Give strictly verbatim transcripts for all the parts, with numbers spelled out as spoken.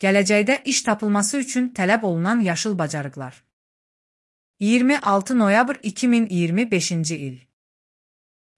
Gələcəkdə iş tapılması üçün tələb olunan yaşıl bacarıqlar. iyirmi altı noyabr iki min iyirmi beşinci il.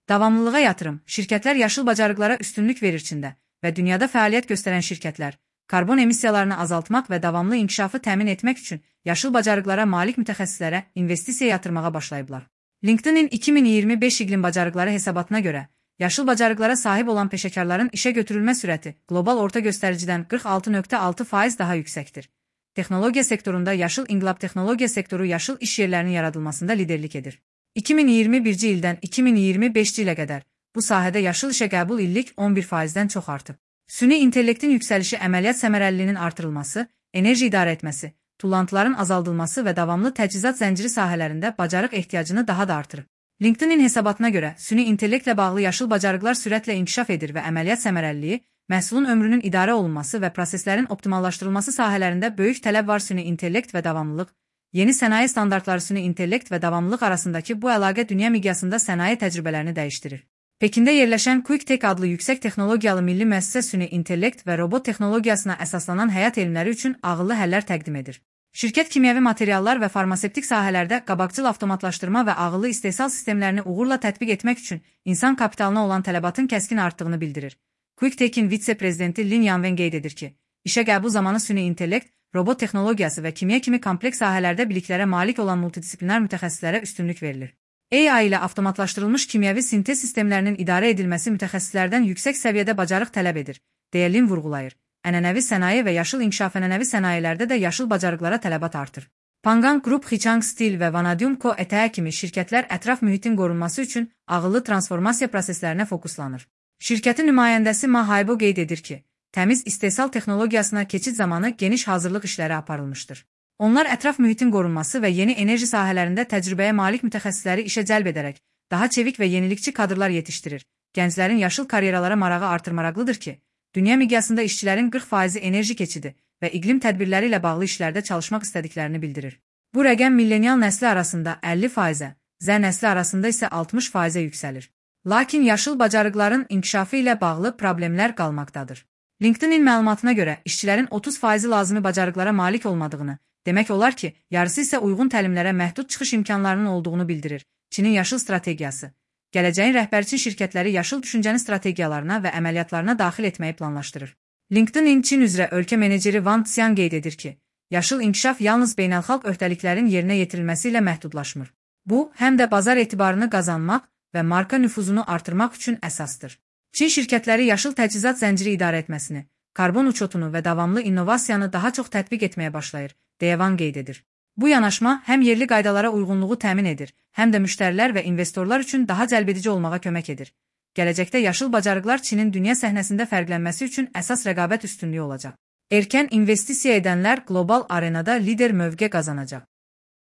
Davamlılığa yatırım, şirkətlər yaşıl bacarıqlara üstünlük verir Çində və dünyada fəaliyyət göstərən şirkətlər, karbon emissiyalarını azaltmaq və davamlı inkişafı təmin etmək üçün yaşıl bacarıqlara malik mütəxəssislərə investisiya yatırmağa başlayıblar. LinkedIn-in iki min iyirmi beş iqlim bacarıqları hesabatına görə, yaşıl bacarıqlara sahib olan peşəkarların işə götürülmə sürəti qlobal orta göstəricidən qırx altı nöqtə altı faiz daha yüksəkdir. Texnologiya sektorunda yaşıl inqilab texnologiya sektoru yaşıl iş yerlərinin yaradılmasında liderlik edir. iki min iyirmi birinci ildən iki min iyirmi beşinci ilə qədər bu sahədə yaşıl işə qəbul illik on bir faizdən çox artıb. Süni intellektin yüksəlişi əməliyyat səmərəliliyinin artırılması, enerji idarə etməsi, tullantıların azaldılması və davamlı təchizat zənciri sahələrində bacarıq ehtiyacını daha da artırır. LinkedIn-in hesabatına görə süni intellektlə bağlı yaşıl bacarıqlar sürətlə inkişaf edir və əməliyyat səmərəliliyi, məhsulun ömrünün idarə olunması və proseslərin optimallaşdırılması sahələrində böyük tələb var. Süni intellekt və davamlılıq, yeni sənaye standartları süni intellekt və davamlılıq arasındakı bu əlaqə dünya miqyasında sənaye təcrübələrini dəyişdirir. Pekində yerləşən QuickTech adlı yüksək texnologiyalı milli müəssisə süni intellekt və robot texnologiyasına əsaslanan həyat elmləri üçün ağıllı həllər təqdim edir. Şirkət kimyəvi materiallar və farmasevtik sahələrdə qabaqcıl avtomatlaşdırma və ağıllı istehsal sistemlərini uğurla tətbiq etmək üçün insan kapitalına olan tələbatın kəskin artdığını bildirir. QuickTech'in vitse-prezidenti Lin Yanwen qeyd edir ki, işə qəbul zamanı süni intellekt, robot texnologiyası və kimya kimi kompleks sahələrdə biliklərə malik olan multidisiplinar mütəxəssislərə üstünlük verilir. A I ilə avtomatlaşdırılmış kimyəvi sintez sistemlərinin idarə edilməsi mütəxəssislərdən yüksək səviyyədə bacarıq tələb edir, deyə Lin vurğulayır. Ənənəvi sənaye və yaşıl inkişaf ənənəvi sənayelərdə də yaşıl bacarıqlara tələbat artır. Pangang Group, Hichang Steel və Vanadium Co. E T A kimi şirkətlər ətraf mühitin qorunması üçün ağıllı transformasiya proseslərinə fokuslanır. Şirkətin nümayəndəsi Ma Haibo qeyd edir ki, təmiz istehsal texnologiyasına keçid zamanı geniş hazırlıq işləri aparılmışdır. Onlar ətraf mühitin qorunması və yeni enerji sahələrində təcrübəyə malik mütəxəssisləri işə cəlb edərək, daha çevik və yenilikçi kadrlar yetişdirir. Gənclərin yaşıl karyeralara marağı artırmaraqlıdır ki, dünya miqyasında işçilərin qırx faizi enerji keçidi və iqlim tədbirləri ilə bağlı işlərdə çalışmaq istədiklərini bildirir. Bu rəqəm millenial nəsli arasında əlli faizə, Z nəsli arasında isə altmış faizə yüksəlir. Lakin yaşıl bacarıqların inkişafı ilə bağlı problemlər qalmaqdadır. LinkedIn-in məlumatına görə işçilərin otuz faizi lazımi bacarıqlara malik olmadığını, demək olar ki, yarısı isə uyğun təlimlərə məhdud çıxış imkanlarının olduğunu bildirir. Çinin yaşıl strategiyası. Gələcəyin rəhbərçi şirkətləri yaşıl düşüncəni strategiyalarına və əməliyyatlarına daxil etməyi planlaşdırır. LinkedIn-in Çin üzrə ölkə meneceri Wang Xian qeyd edir ki, yaşıl inkişaf yalnız beynəlxalq öhdəliklərin yerinə yetirilməsi ilə məhdudlaşmır. Bu, həm də bazar etibarını qazanmaq və marka nüfuzunu artırmaq üçün əsasdır. Çin şirkətləri yaşıl təchizat zənciri idarə etməsini, karbon uçotunu və davamlı innovasiyanı daha çox tətbiq etməyə başlayır, deyə Wang qeyd edir. Bu yanaşma həm yerli qaydalara uyğunluğu təmin edir, həm də müştərilər və investorlar üçün daha cəlbedici olmağa kömək edir. Gələcəkdə yaşıl bacarıqlar Çinin dünya səhnəsində fərqlənməsi üçün əsas rəqabət üstünlüyü olacaq. Erkən investisiya edənlər qlobal arenada lider mövqe qazanacaq.